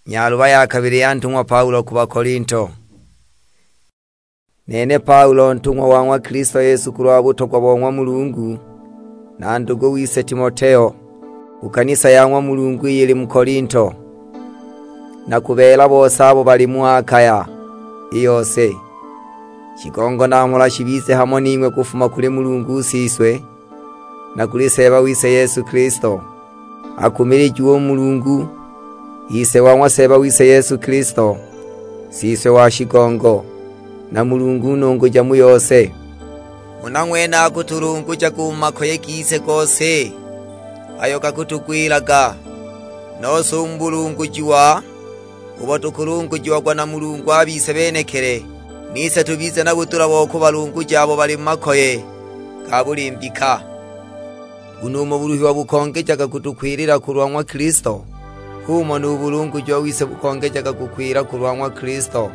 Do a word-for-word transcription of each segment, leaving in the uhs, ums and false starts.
Nyaluba ya kabili ya ntung'wa Paulo ku Bakolinto. Nene Paulo, ntung'wa wa ng'wa Kilisto Yesu kulwa butogwa bo ng'wa Mulungu, na ndugu wise Timoteo, ku kanisa ya ng'wa Mulungu iyo ili mu Kolinto, na ku beela bose abo bali mu Akaya i yose. Shigongo na mhola shibize hamo ning'we kufuma kuli Mulungu u Siswe, na kuli Seeba wise Yesu Kilisto. Akumilijiwe u Mulungu, Ise wa ng'wa Seeba wise Yesu Kilisto, Siswe wa shigongo, na Mulungu nunguja mu yose. Huna ng'wene akutulungujaga u mu makoye gise gose ayo gakutugwilaga, nose u mu bulungujiwa ubo tukulungujiagwa na Mulungu a bise benekili, nise tubize na budula bo kubalunguja abo bali mu makoye ga buli mbika. Nguno umo buluhiwa bukongejaga kutukwilila kulwa ng'wa Kilisto, h'umo nu bulungujiwa wise bukongejaga kukwila kulwa ng'wa Kilisto.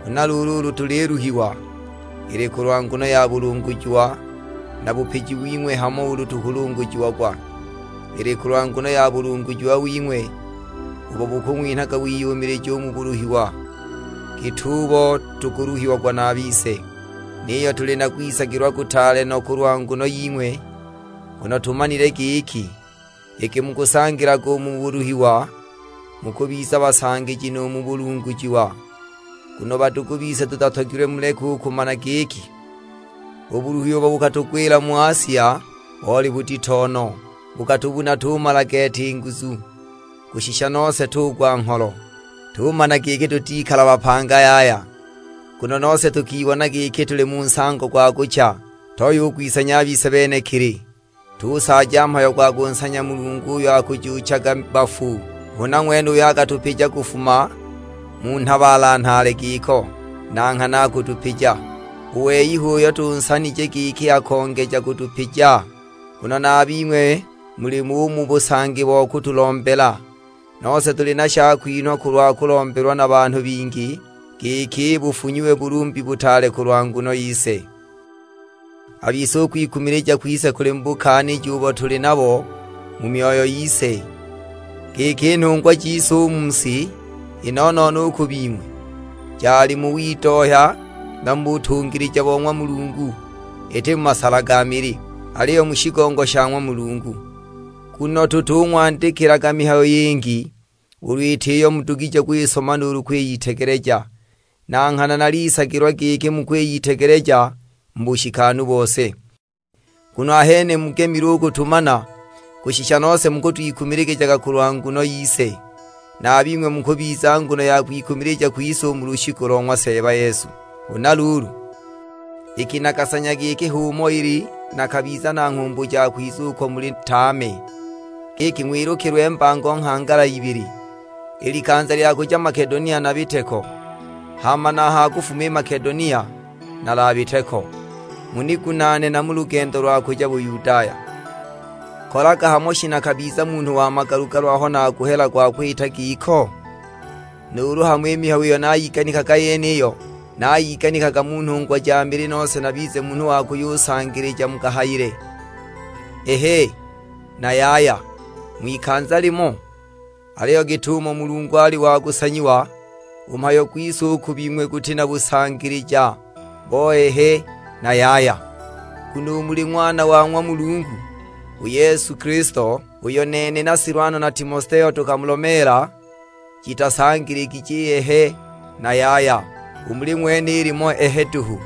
Huna luulu ulu tuliluhiwa, ili kulwa nguno ya bulungujiwa na bupiji wing'we hamo ulu tukulungujiagwa, ili kulwa nguno ya bulungujiwa wing'we, ubo bukung'winhaga wiyumilija u mu buluhiwa, git'ubo tukuluhiagwa na a bise. Niyo tuli na kwisagilwa kutaale no kulwa nguno ying'we, nguno tumanile giki, iki mukusangilaga u mu buluhiwa, mukubiza basangiji nu mu bulungujiwa. Nguno badugu bise tutatogilwe muleke u kumana giki, u buluhiwa ubo bukatugwila mu Asia boli budito no, bukatubuna tumala gete i nguzu, kushisha nose tugwa ngholo. Tumana giki tutikala bapanga yaya, nguno nose tukibona giki tuli mu nsango gwa kucha, toyo u kwisanya a bise benekili. Tusaaja mhayo gwa kunsanya Mulungu uyo akujuuchaga bafu, huna ng'wene uyo akatupija kufuma mu nhabaala nhaale giko, na nghana akutupija. U wei h'uyo tunsanije giki akongeja kutupija, nguno na a bing'we muli mu mu busangi bo kutulombela. Nose tuli na shakwinhwa kulwa kulombelwa na banhu bingi, giki bufunyiwe bulumbi butaale kulwa nguno yise. A bise u kwikumilija kwise kuli mu bukaaniji ubo tuli nabo mu myoyo yise, giki i nhungwa jise u mu si, i no-no-no u ku bing'we, jali mu widohya na mu butungilija bo ng'wa Mulungu, iti mu masala ga mili, aliyo mu shigongo sha ng'wa Mulungu. Nguno tutung'wandikilaga mihayo yingi, ulu iti iyo mudugije kwisoma nuulu kwiyitegeleja. Na nghana nalisagilwa giki mukwiyitegeleja mu bushikanu bose. Nguno ahene mugemilwe u kutumana, kushisha nose mukutwikumiligijaga kulwa nguno yise, na a bing'we mukubiza nguno ya kwikumilija kwise u mu lushiku lo ng'wa Seeba Yesu. Huna luulu, iki nakasanya giki h'umo ili nakabiza na nghumbu ja kwiza uko muli tame, giki ng'wilukilwe mbango nghangala ibili, i likanza lya kuja Makedonia nabite ko, hama na ha kufuma i Makedonia nalabite ko, munigunaane na mu lugendo lwa kuja Buyudaya. Kolaga hamo shi nakabiza munhu wa magalu-galu aho nakuhela gwa kwita giko? Nuulu hamo i mihayo iyo nayiganikaga yeniyo, nayiganikaga mu nhungwa ja mili nose nabize munhu wa kuyusangilija mu kahayile? Ehe, na yaya, ng'wikanza limo. Aliyo git'umo Mulungu ali wa kusanyiwa, u mhayo gwise u ku bing'we guti na busangilija bo ehe na yaya. Nguno u muli Ng'wana wa ng'wa Mulungu, u Yesu Kilisto, uyo nene na Silwano na Timoteo tukamulomeela, jitasangiligije i ehe na yaya, u muli ng'wene ilimo ehe duhu.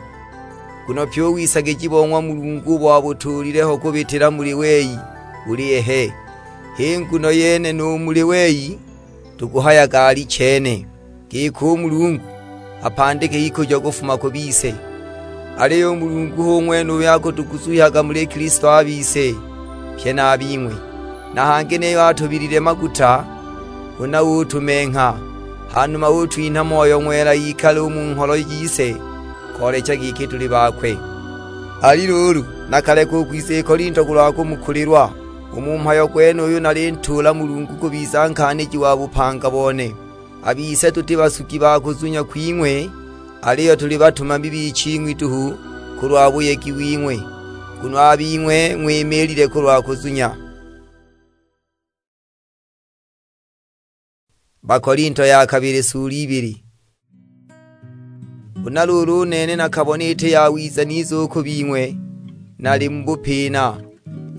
Nguno pyi u wisagija bo ng'wa Mulungu ubo abutuulile ho kubitila muli wei, buli ehe. H'i nguno yene nu muli wei tukuhayaga alichene, giki u Mulungu apandike ikujo kufuma ku bise. Aliyo u Mulungu hu ng'wene uyo akutuguzuhyaga muli Kilisto a bise, pye na a bing'we. Na hangi niyo atubilile maguta, huna utumengha, hanuma utwinha Moyo Ng'wela ikale u mu ngholo jise, koolecha giki tuli bakwe. Ali luulu, nakaleka u kwiza i Kolinto kulwa kumukulilwa. U mu mhayo gwenuyu nalintuula Mulungu kubiza nkaaniji wa bupanga bone. A bise tuti basugi ba kuzunya kwing'we, aliyo tuli batumami biching'wi duhu kulwa buyegi wing'we, nguno a bing'we ng'wimiilile kulwa kuzunya. Bakolinto ya kabili sula ibili. Huna luulu u nene nakabona iti yawiza nize u ku bing'we nali mu bupina,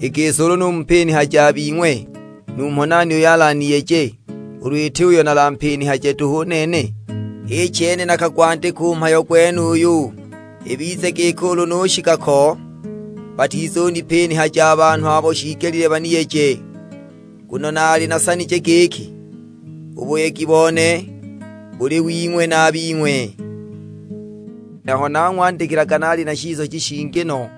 i gisi ulu numupinihaja a bing'we, numho nani uyo alaniyeje, ulu iti uyo nalampinihaje duhu u nene? H'i chene nakagwandika u mhayo gwenuyu, ibize giki ulu nushika ko, batizunipinihaja a banhu abo shiigelile baniyeje. Nguno naali nasanije giki, u buyegi bone buli wing'we na a bing'we. Aho nang'wandikilaga naali na shisoji shingi no,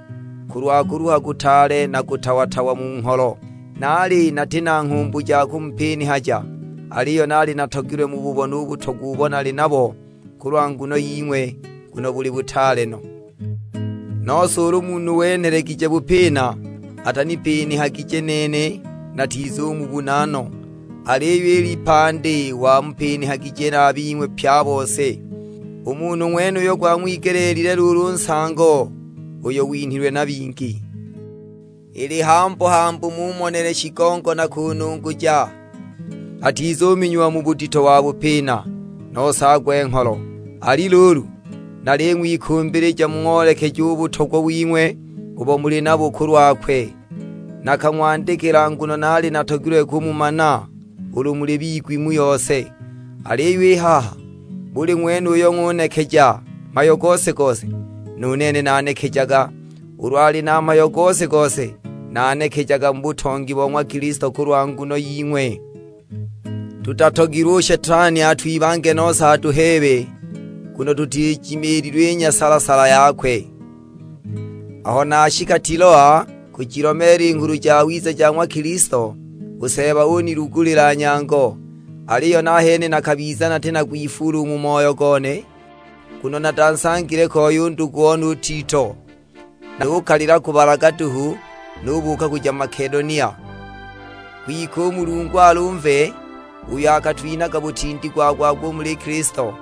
kulwa kuluha kutaale na kutawa-tawa mu ngholo. Naali nati na nghumbu ja kumupinihaja, aliyo naali natogilwe mububone u butogwa ubo nali nabo kulwa nguno ying'we, nguno buli butaale no. Nose ulu munhu wenhelegije bupina, atanipinihagije nene, natizumubuna no. Aliyo i lipandi wamupinihagije na a bing'we pye a bose. U munhu ng'wenuyo gwang'wigeleelile luulu nsango uyo winhilwe na bingi. Ili hambu-hambu mumonele shigongo na kununguja, atizuminyiwa mu budito wa bupina, nose agwe ngholo. Ali luulu, naling'wikumbilija mung'oolekeje u butogwa wing'we ubo muli nabo kulwakwe. Nakang'wandikila nguno naali natogilwe kumumana ulu muli bigwi mu yose. Aliyo i haha, buli ng'wene uyo ng'unekeja mhayo gose-gose, nu nene nanekejaga. Ulu ali na mhayo gose-gose, nanekejaga mu butongi bo ng'wa Kilisto kulwa nguno ying'we. Tutatogilwe u Shetani atwibange nose atuheebe, nguno tutijimiililwe i nyasala-sala yakwe. Aho nashika Tiloa kujilomeela i Nghulu Jawiza ja ng'wa Kilisto, u Seeba unilugulila nyango, aliyo nahene nakabiza nati na kwifuula u mu moyo gone, nguno natansangile koi u ndugu one u Tito. Nukalila kubalaga duhu, nubuuka kuja Makedonia. Kwike u Mulungu alumve, uyo akatwinhaga butindi gwa-gwagwa u muli Kilisto,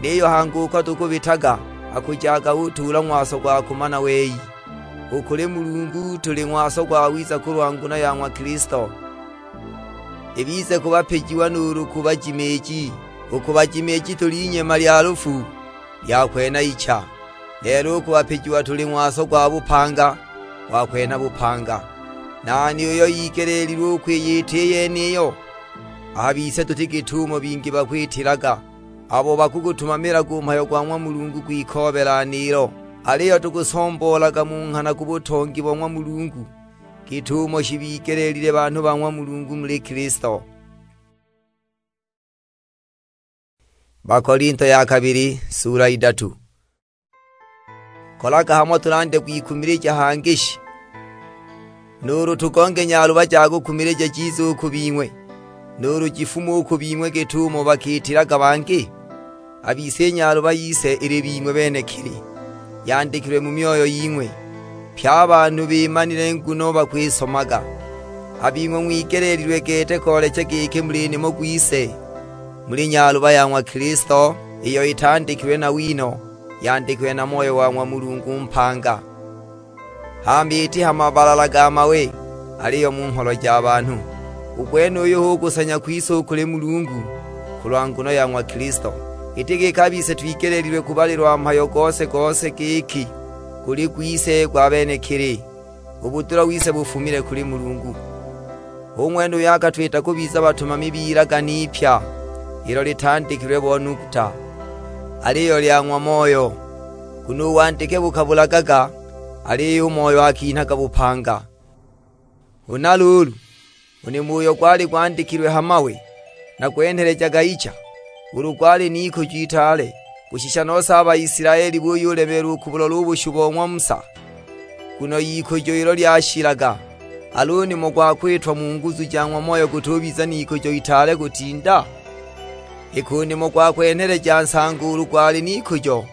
niyo hangi uko tukubitaga akujaga utuula ng'waso gwa kumana wei. U kuli Mulungu tuli ng'waso gwawiza kulwa nguno ya ng'wa Kilisto, ibize ku bapijiwa nuulu ku bajimiiji. U ku bajimiiji tuli inyema lya lufu, lya kwena icha. Lelo u ku bapijiwa tuli ng'waso gwa bupanga, gwa kwena bupanga. Nani uyo igeleelilwe u kwiyita i yeniyo? A bise tuti git'umo bingi bakwitilaga, abo bakugutumamilaga u mhayo gwa ng'wa Mulungu gwikoobela niilo, aliyo tukusomboolaga mu nghana ku butongi bo ng'wa Mulungu, git'umo shibigeleelile banhu ba ng'wa Mulungu muli Kilisto. Bakolinto ya kabili, sula idatu. Kolaga hamo tulande kwikumilija hangi shi? Nuulu tugonge nyaluba ja kukumilija jize u ku bing'we, nuulu jifume u ku bing'we git'umo bakiitilaga bangi? A bise i nyaluba yise ili bing'we benekili, yandikilwe mu myoyo ying'we. Pye a banhu bimanile nguno bakwisomaga. A bing'we ng'wigeleelilwe gete koolecha giki muli nimo gwise, muli nyaluba ya ng'wa Kilisto, iyo itandikilwe na wino, yandikilwe na Moyo wa ng'wa Mulungu mpanga. Hama iti ha mabalala ga mawe, aliyo mu ngholo ja banhu. U gwenuyu hu kusanya kwise u kuli Mulungu kulwa nguno ya ng'wa Kilisto. Iti giki a bise twigeleelilwe kubalilwa mhayo gose-gose giki guli gwise gwa benekili, u budula wise bufumile kuli Mulungu. Hu ng'wene uyo akatwita kubiza batumami b'ilagane ipya, ilo litandikilwe bo nuguta, aliyo lya ng'wa Moyo. Nguno u wandike bukabulagaga, aliyo u Moyo akinhaga bupanga. Huna luulu, u nimo uyo gwali gwandikilwe ha mawe, nagwenhelejaga icha, ulu gwali n'ikujo itaale, kushisha nose a Baisilaeli buyulemeelwa u kubulola u bushu bo ng'wa Musa. Nguno ikujo ilo lyashilaga, al'u nimo gwa kwitwa mu nguzu ja ng'wa Moyo gutubiza n'ikujo itaale kutinda? Iki u nimo gwa kwenheleja nsango ulu gwali n'ikujo,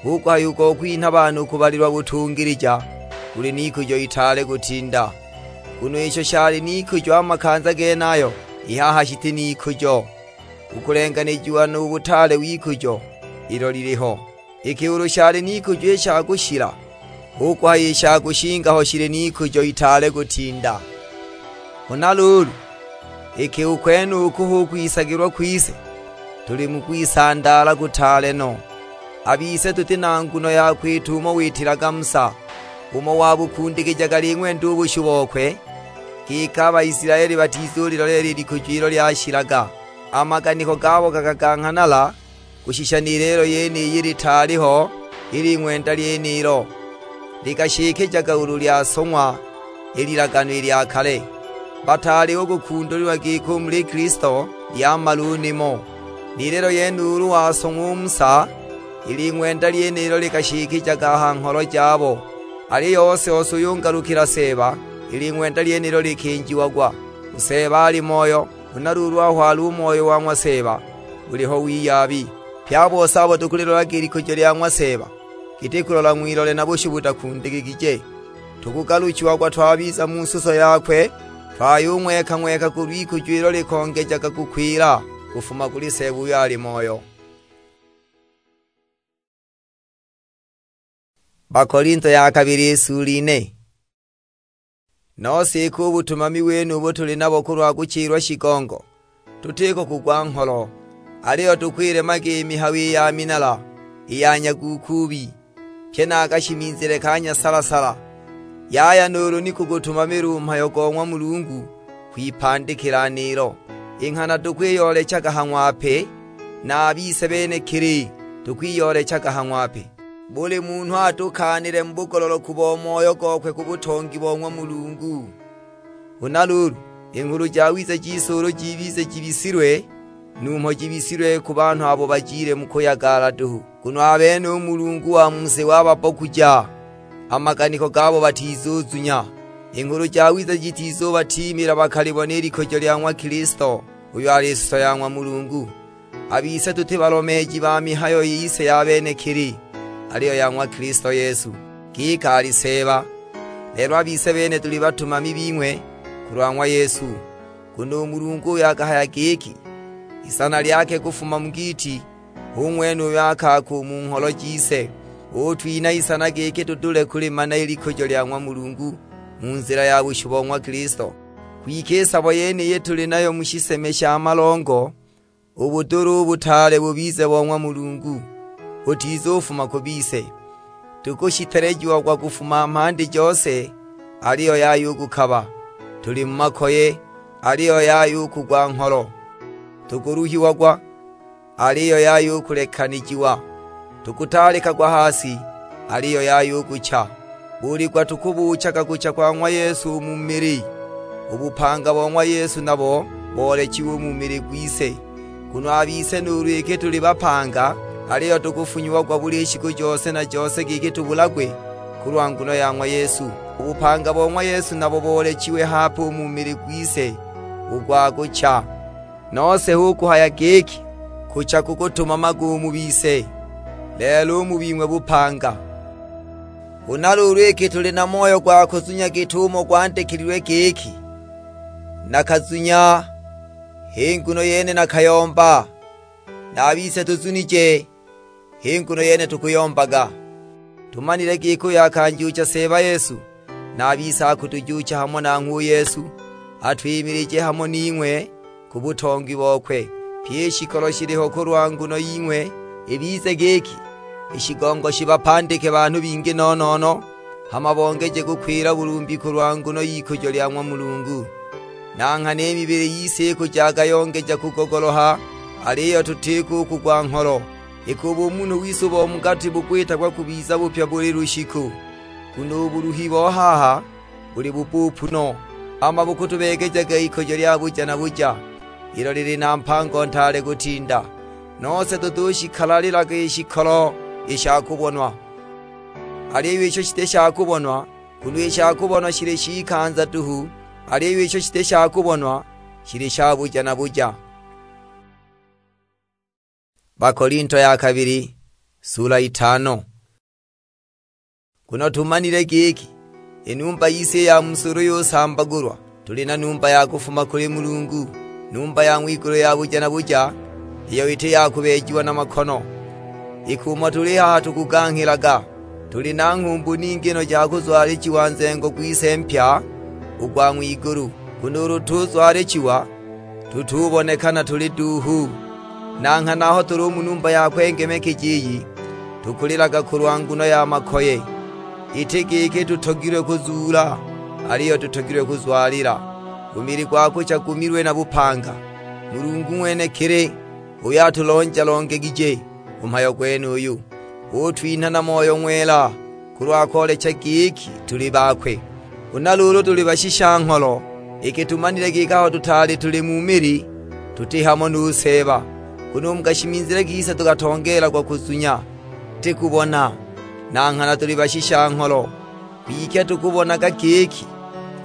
hu kuhaya u go kwinha banhu kubalilwa butungilija, guli n'ikujo itaale kutinda. Nguno isho shali n'ikujo a makanza genayo, i haha shiti n'ikujo, u kulenganijiwa nu butaale w'ikujo ilo liliho. Iki ulu shali n'ikujo i sha kushila, hu kuhaya i sha kushinga ho shili n'ikujo itaale kutinda. Huna luulu, iki u kwenuku hu kwisagilwa kwise, tuli mu kwisandaala kutaale no. A bise tuti na nguno ya kwita umo witilaga Musa, umo wabukundikijaga aling'wenda u bushu bokwe, giki a Baisilaeli batizuliloleela i likujo ilo lyashilaga. A maganiko gabo gakaganghanala, kushisha ni lelo yeniyi litaali ho i ling'wenda lyenilo, likashikijaga ulu lyasong'wa i lilagano i lya kale. Bataali u kukundulilwa giki u muli Kilisto lyamala u nimo, ni lelo yene ulu wasong'wa u Musa, i ling'wenda lyenilo likashikijaga a ha ngholo jabo. Aliyo ose-ose uyo ungalukila Seeba, i ling'wenda lyenilo likinjiagwa. U Seeba ali Moyo, huna luulu aho ali u Moyo wa ng'wa Seeba, buliho wiyabi. Pye a bose abo tukulilolaga i likujo lya ng'wa Seeba, giti kulola ng'wilole na bushu butakundikigije. Tukugaluchiagwa twabiza mu suso yakwe, twayung'weka-ng'weka kulw'ikujo ilo likongejaga kukwila kufuma kuli Seeba uyo ali Moyo. Bakolinto ya kabili, i sula ine. Nose iki u butumami wenubu tuli nabo kulwa kuchilwa shigongo, tutiko kugwa ngholo, aliyo tukwilemaga i mihayo i ya minala, i ya nyagukuubi, pye na a kashimizile ka nyasala-sala. Yaya nuulu ni kugutumamila u mhayo go ng'wa Mulungu kwipandikila nilo. I nghana tukwiyoolechaga ha ng'wape, na a bise benekili tukwiyoolechaga ha ng'wape. Buli munhu atukaanile mu bugololoku bo moyo gokwe ku butongi bo ng'wa Mulungu. Huna luulu, i Nghulu Jawiza jise ulu jibize jibisilwe, numho jibisilwe ku banhu abo bajile mu kuyagala duhu, nguno a bene u Mulungu wa mu si wababokuja, a maganiko gabo batizuzunya. I Nghulu Jawiza jitizubatiimila bakalibone i likujo lya ng'wa Kilisto, uyo ali suso ya ng'wa Mulungu. A bise tuti balomeeji ba mihayo yise ya benekili, aliyo ya ng'wa Kilisto Yesu, giki ali Seeba. Lelo a bise bene tuli batumami bing'we kulwa ng'wa Yesu. Nguno u Mulungu uyo akahaya giki, "Isana lyake kufuma mu giiti," hu ng'wene uyo akaaka u mu ngholo jise, utwinha isana giki tudule kulimana i likujo lya ng'wa Mulungu mu nzila ya bushu bo ng'wa Kilisto. Kwike i sabo yeniyi tuli nayo mu shiseme sha malongo, u budula u butaale bubize bo ng'wa Mulungu, butizufuma ku bise. Tukushitelejiagwa kufuma mhandi jose, aliyo yaya u kukaba; tuli mu makoye, aliyo yaya u kugwa ngholo; tukuluhiagwa, aliyo yaya u kulekanijiwa; tukutaalikagwa ha si, aliyo yaya u kucha. Buli gwa tukubuuchaga kucha kwa ng'wa Yesu u mu mili, u bupanga bo ng'wa Yesu nabo boolechiwe u mu mili gwise. Nguno a bise nuulu iki tuli bapanga, aliyo tukufunyiagwa buli shiku jose na jose giki tubulagwe kulwa nguno ya ng'wa Yesu. U bupanga bo ng'wa Yesu nabo boolechiwe hape u mu mili gwise, u gwa kucha. Nose hu kuhaya giki, kucha kukutumamaga u mu bise, lelo u mu bing'we bupanga. Huna luulu iki tuli na moyo gwa kuzunya git'umo gwandikililwe giki, "Nakazunya, h'i nguno yene nakayomba," na a bise tuzunije, h'i nguno yene tukuyombaga. Tumanile giki uyo akanjuucha Seeba Yesu, na a bise akutujuucha hamo nanghwe u Yesu, atwimilije hamo ning'we ku butongi bokwe. Pyi i shikolo shiliho kulwa nguno ying'we, ibize giki i shigongo shibapandike banhu bingi no-no-no, hama bongeje kukwila bulumbi kulwa nguno y'ikujo lya ng'wa Mulungu. Na nghana i mibili yise ikujaga yongeja kugogoloha, aliyo tutiko u kugwa ngholo. Iki u bumunhu wise u bo mu gati bukwitagwa kubiza bupya buli lushiku, nguno u buluhi bo haha buli bupuupu no, hama bukutubeegejaga ikujo lya buja na buja, ilo lili na mpango ntaale kutinda. Nose tutushikalalilaga i shikolo i sha kubonwa, aliyo isho shiti sha kubonwa, nguno i sha kubonwa shili shikanza duhu, aliyo isho shiti sha kubonwa shili sha buja na buja. Bakolinto ya kabili, sula itano. Nguno tumanile giki, i numba yise i ya mu sulu yusambagulwa, tuli na numba ya kufuma kuli Mulungu, numba ya ng'wigulu ya buja na buja, iyo iti ya kubeejiwa na makono. Iki umo tuli haha tukuganghilaga, tuli na nghumbu ningi no ja kuzwalijiwa nzengo gwise mpya u gwa ng'wigulu. Nguno ulu tuzwalijiwa, tutubonekana tuli duuhu, Na nghana aho tuli u mu numba yakwe ngemekeji iyi, tukulilaga kulwa nguno ya makoye. Iti giki tutogilwe kuzuula, aliyo tutogilwe kuzwalila. U mili gwa kucha gumilwe na bupanga. Mulungu ng'wenekili uyo atulonja-longegije u mhayo gwenuyu, utwinha na Moyo Ng'wela kulwa koolecha giki tuli bakwe. Huna luulu tuli bashisha-ngholo, iki tumanile giki aho tutaali tuli mu mili, tuti hamo nu Seeba. Nguno u mu kashimizile kise tukatongeelagwa kuzunya, iti kubona. Na nghana tuli bashisha-ngholo, kwike tukubonaga giki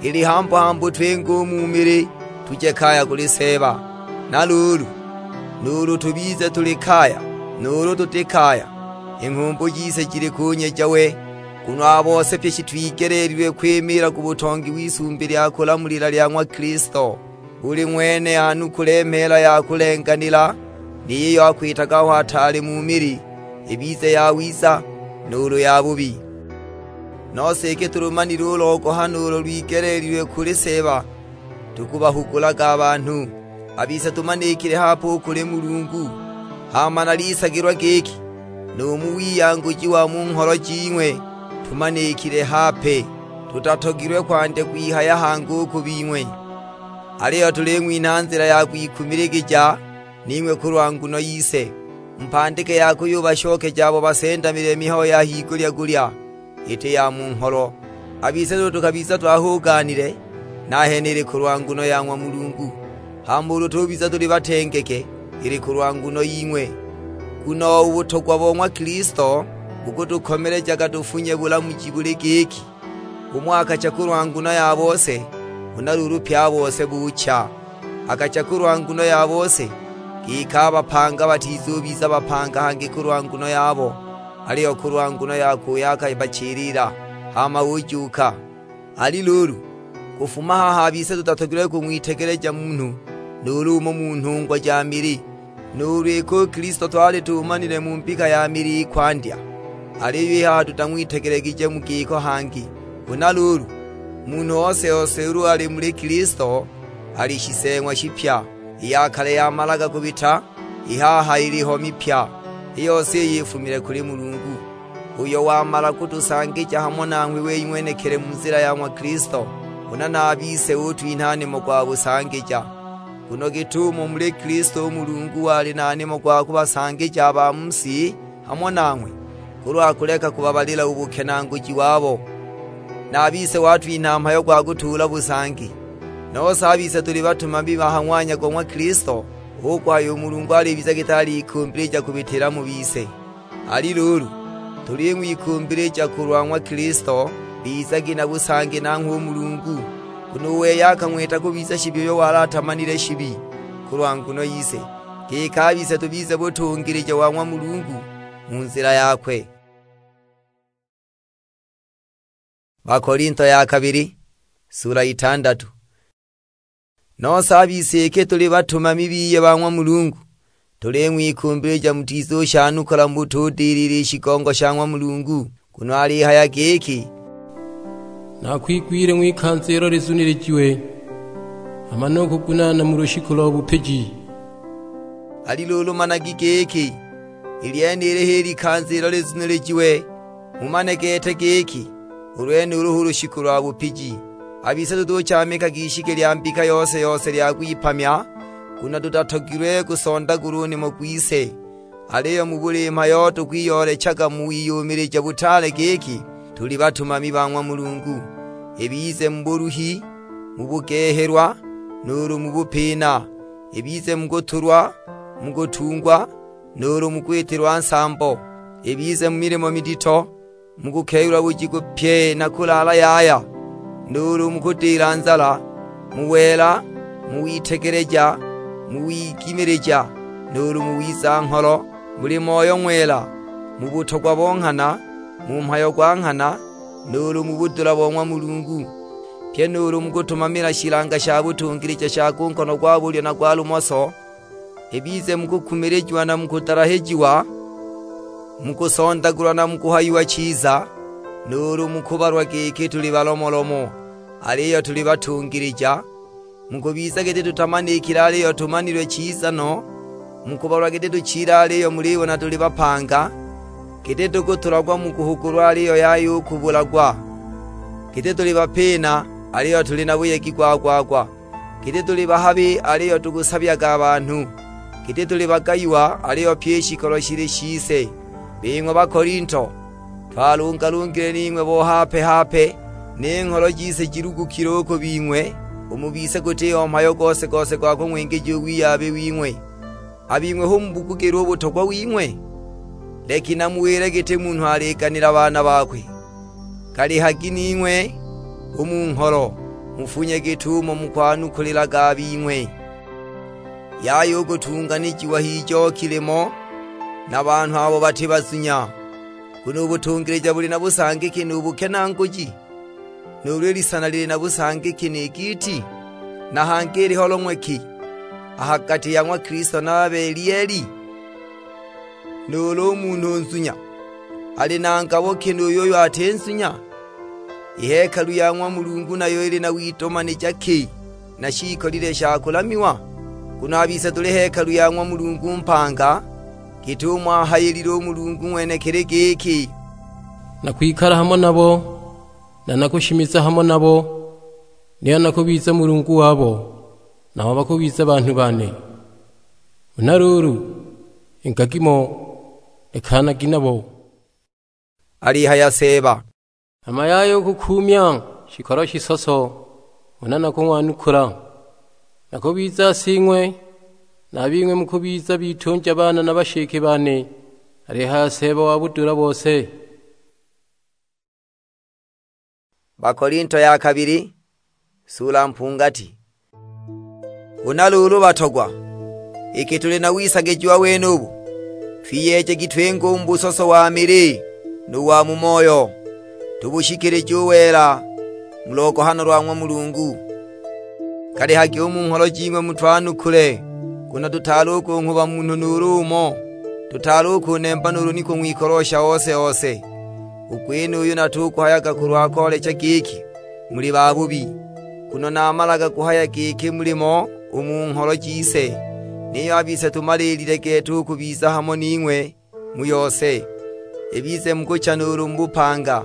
ili hambu-hambu twinge u mu mili, tuje kaya kuli Seeba. Na luulu, nuulu tubize tuli kaya, nuulu tuti kaya, i nghumbu jise jili kunyeja we, nguno a bose pye shitwigeleelilwe kwimiila ku butongi w'isumbi lya kulamulila lya ng'wa Kilisto. Buli ng'wene anukule mheela ya kulenganila, ni yiyo akwitaga aho ataali mu mili, ibize yawiza nuulu yabubi. Nose iki tulumanile u logohano ulo lwigeleelilwe kuli Seeba, tukubahugulaga a banhu. A bise tumanikile hape u kuli Mulungu, hama nalisagilwa giki nu mu wiyanguji wa mu ngholo jing'we tumanikile hape, tutatogilwe kwandya kwihaya hangi u ku bing'we. Aliyo tuling'winha nzila ya kwikumiligija ning'we kulwa nguno yise, mupandike ya kuyubashokeja abo basendamile mihayo ya higulya-gulya, iti ya mu ngholo. A bise duhu tukabiza twahugaanile, nahene ili kulwa nguno ya ng'wa Mulungu. Hama ulu tubiza tuli batengeke, ili kulwa nguno ying'we. Nguno u butogwa bo ng'wa Kilisto bukutukomelejaga tufunye bulamuji buli giki, umo akacha kulwa nguno ya bose, huna luulu pye a bose bucha. Akacha kulwa nguno ya bose, giki a bapanga batizubiza bapanga hangi kulwa nguno yabo, aliyo kulwa nguno yakwe uyo akabachilila, hama ujuuka. Ali luulu, kufuma haha a bise tutatogilwe kung'witegeleja munhu nuulu umo mu nhungwa ja mili. Nuulu iki u Kilisto twali tumanile mu mbika ya mili i kwandya, aliyo i haha tutang'witegelegije mu giko hangi. Huna luulu, munhu ose-ose ulu ali muli Kilisto, ali shiseeng'wa shipya; i ya kale yamalaga kubita, i haha iliho mipya. I yose iyi ifumile kuli Mulungu, uyo wamala kutusangija hamo nanghwe wei ng'wenekili mu nzila ya ng'wa Kilisto, huna na a bise utwinha nimo gwa busangija. Nguno git'umo muli Kilisto u Mulungu wali na nimo gwa kubasangija a ba mu si hamo nanghwe, kulwa kuleka kubabalila u bukenaanguji wabo, na a bise watwinha mhayo gwa kutuula busangi. Nose a bise tuli batumami ba ha ng'wanya go ng'wa Kilisto, hu kuhaya u Mulungu alibiza giti alikumbilija kubitila mu bise. Ali luulu, tuling'wikumbilija kulwa ng'wa Kilisto, bizagi na busangi nanghwe u Mulungu, nguno u wei akang'wita kubiza shibi uyo wali atamanile shibi kulwa nguno yise, giki a bise tubize butungilija wa ng'wa Mulungu mu nzila yakwe. Bakolinto ya kabili, sula itandatu. Nose a bise iki tuli batumami biye ba ng'wa Mulungu, tuling'wikumbilija mutizushanukula mu butudilila i shigongo sha ng'wa Mulungu, nguno alihaya giki, "Nakwigwile ng'wikanza ilo lizunilijiwe, hama nu kugunaana mu lushiku lo bupiji." Ali luulu managi giki, i lyenili h'i likanza ilo lizunilijiwe, mumane gete giki, u lwenulu hu lushiku lwa bupiji. A bise tutuchamikaga ishiki lya mbika yose-yose lya kwipamya, nguno tutatogilwe kusondagulwa u nimo gwise. Aliyo mu buli mhayo tukwiyoolechaga mu wiyumilija butaale giki tuli batumami ba ng'wa Mulungu, ibize mu buluhi, mu bugehelwa, nuulu mu bupina, ibize mu kutulwa, mu kutungwa, nuulu mu kwitilwa nsambo, ibize mu milimo midito, mu kukehelwa bujiku pye na kulaala yaya, nuulu mu kudila nzala, mu wela, mu witegeleja, mu wigimilija, nuulu mu wiza-ngholo, muli Moyo Ng'wela, mu butogwa bo nghana, mu mhayo gwa nghana, nuulu mu budula bo ng'wa Mulungu, pye nuulu mu kutumamila shilanga sha butungilija sha ku nkono gwa bulyo na gwa lumoso, ibize mu kukumilijiwa na mu kudalahijiwa, mu kusondagulwa na mu kuhayiwa chiza, nuulu mu kubalwa giki tuli balomolomo, aliyo tuli batungilija, mu kubiza giti tutamanikile aliyo tumanilwe chiza no, Mukubalwa giti tuchile aliyo mulibona tuli bapanga, giti tukutulagwa mu kuhugulwa aliyo yaya u kubulagwa, giti tuli bapina aliyo tuli na buyegi gwa-gwa-gwa, giti tuli bahabi aliyo tukusabyaga a banhu, giti tuli bagayiwa aliyo pyi i shikolo shili shise. Bing'we Bakolinto, twalungalungile ning'we bo hape-hape, ni ngholo jise jilugukile u ku bing'we, u mu bise gutiho mhayo gose-gose gwa kung'wingija u wiyabi wing'we. A bing'we hu mubugugilwe u butogwa wing'we? Leki namuwile giti munhu aliganila baana bakwe, galihagi ning'we u mu ngholo, mufunye git'umo mukwanukulilaga a bing'we. Yaya u kutunganijiwa h'ijoki limo na banhu abo bati bazunya, nguno u butungilija buli na busangiki nu bukenaanguji, nuulu i lisana lili na busangiki ni giiti, na hangi iliho long'we ki a ha gati ya ng'wa Kilisto na a Belieli? Nuulu u munhu nzunya ali na ngabo ki nuulu uyo ati nzunya? I hekalu ya ng'wa Mulungu nayo ili na widomanija ki na shiikolile sha kulamiwa? Nguno a bise tuli hekalu ya ng'wa Mulungu mpanga, git'umo ahayilile u Mulungu ng'wenekili giki, "Nakwikala hamo nabo, na nakushimiza hamo nabo, niyo nakubiza Mulungu wabo, nabo bakubiza banhu bane." Huna luulu, ingagi mo, lekanagi nabo, alihaya Seeba. Hama yaya u kukuumya shikolo shisoso, huna nakung'wanukula. Nakubiza sing'we, na a bing'we mukubiza bitunja bane na bashike bane, alihaya Seeba wa budula bose. Bakolinto ya kabili, sula mpungati. Huna luulu batogwa, iki tuli na wisagijiwa wenubu, twiyeejagi twinge u mu busoso wa mili nu wa mu moyo, tubushikilije u wela mu logohano lwa ng'wa Mulungu. Galihagi u mu ngholo jing'we mutwanukule, nguno tutaali u kunghuba munhu nuulu umo, tutaali u kunemba nuulu ni kung'wikolosha ose-ose. U gwenuyu natuguhayaga kulwa koolecha giki muli babubi, nguno namalaga kuhaya giki muli mo u mu ngholo jise, niyo a bise tumaliilile gete u kubiza hamo ning'we mu yose, ibize mu kucha nuulu mu bupanga.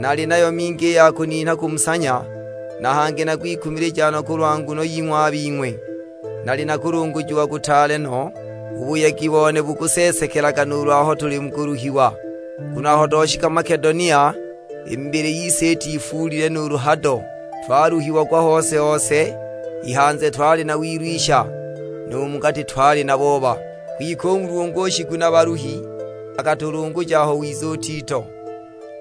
Nali nayo mingi i ya kuninha kumusanya, na hangi nakwikumilija no kulwa nguno ying'we a bing'we. Nali na kulungujiwa kutaale no, u buyegi bone bukuseesekelaga nuulu aho tuli mu kuluhiwa. Nguno aho twashika Makedonia, i mibili yise itifuulile nuulu hado, twaluhiagwa hose-hose, i hanze twali na wilwisha, nu mu gati twali na booba. Kwike u Mulungu u Shiguna-baluhi akatulunguja aho wiza u Tito.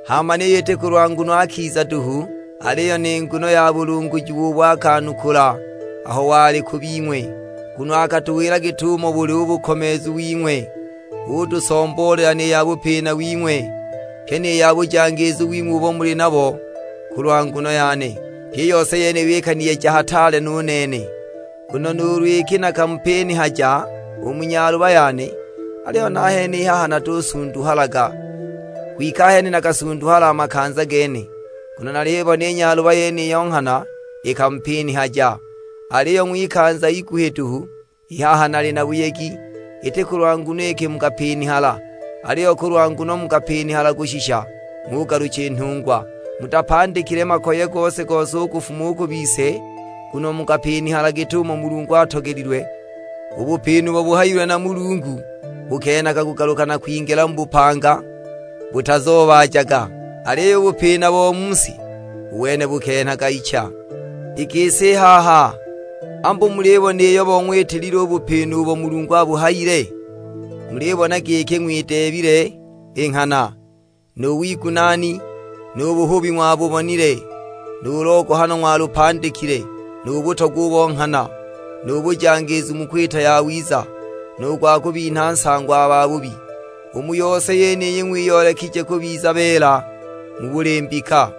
Hama niyo iti kulwa nguno akiza duhu, aliyo ni nguno ya bulungujiwa ubo akanukula aho wali ku bing'we, nguno akatuwila git'umo buli u bukomeezu wing'we, utusomboolela ni ya bupina wing'we, pyi ni ya bujangiizu wing'we ubo muli nabo kulwa nguno yane. Pyi i yose yeniyo ikaniyeja hataale nu nene. Nguno nuulu iki nakamupinihaja u mu nyaluba yane, aliyo nahene i haha natusunduhalaga. Kwike ahene nakasunduhala a makanza gene, nguno nalibona i nyaluba yeniyo nghana ikamupinihaja. Aliyo ng'wikanza iguhi duhu, i haha nali na buyegi, iti kulwa nguno iki mukapinihala, aliyo kulwa nguno mukapinihala kushisha ng'ugalucha i nhungwa. Mutapandikile makoye gose-gose u kufuma u ku bise, nguno mukapinihala git'umo Mulungu atogelilwe. U bupina ubo buhayilwe na Mulungu bukenhaga kugaluka na kwingila mu bupanga, butazoobaajaga, aliyo u bupina bo mu si, u wene bukenhaga icha. I gisi i haha, ambu mulibona iyo bong'witilile u bupina ubo Mulungu abuhayile? Mulibona giki ng'wideebile i nghana, nu wigunaani, nu buhubi ng'wabubonile, nu logohano ng'walupandikile, nu butogwa ubo nghana, nu bujangiizu mu kwita yawiza, nu gwa kubinha nsango a babubi. U mu yose yeniyi ng'wiyoolekije kubiza beela mu buli mbika.